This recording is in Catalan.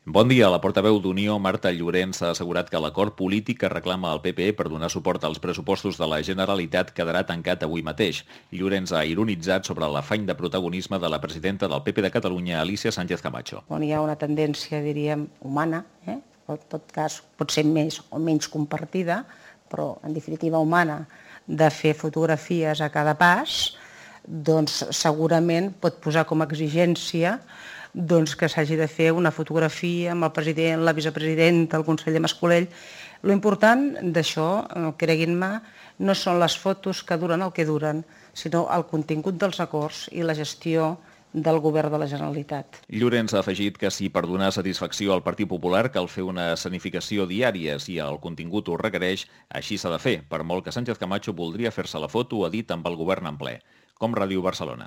Bon dia. La portaveu d'Unió, Marta Llorens, ha assegurat que l'acord polític que reclama el PP per donar suport als pressupostos de la Generalitat quedarà tancat avui mateix. Llorens ha ironitzat sobre l'afany de protagonisme de la presidenta del PP de Catalunya, Alicia Sánchez Camacho. On hi ha una tendència, diríem, humana, en tot cas potser més o menys compartida, però en definitiva humana, de fer fotografies a cada pas, doncs segurament pot posar com a exigència que s'hagi de fer una fotografia amb el president, la vicepresidenta, el conseller Mas-Colell. Lo important d'això, creguin-me, no són les fotos que duren el que duren, sinó el contingut dels acords i la gestió del govern de la Generalitat. Llorens ha afegit que si per donar satisfacció al Partit Popular cal fer una escenificació diària si el contingut ho requereix, així s'ha de fer, per molt que Sánchez Camacho voldria fer-se la foto, ha dit, amb el govern en ple. Com Ràdio Barcelona.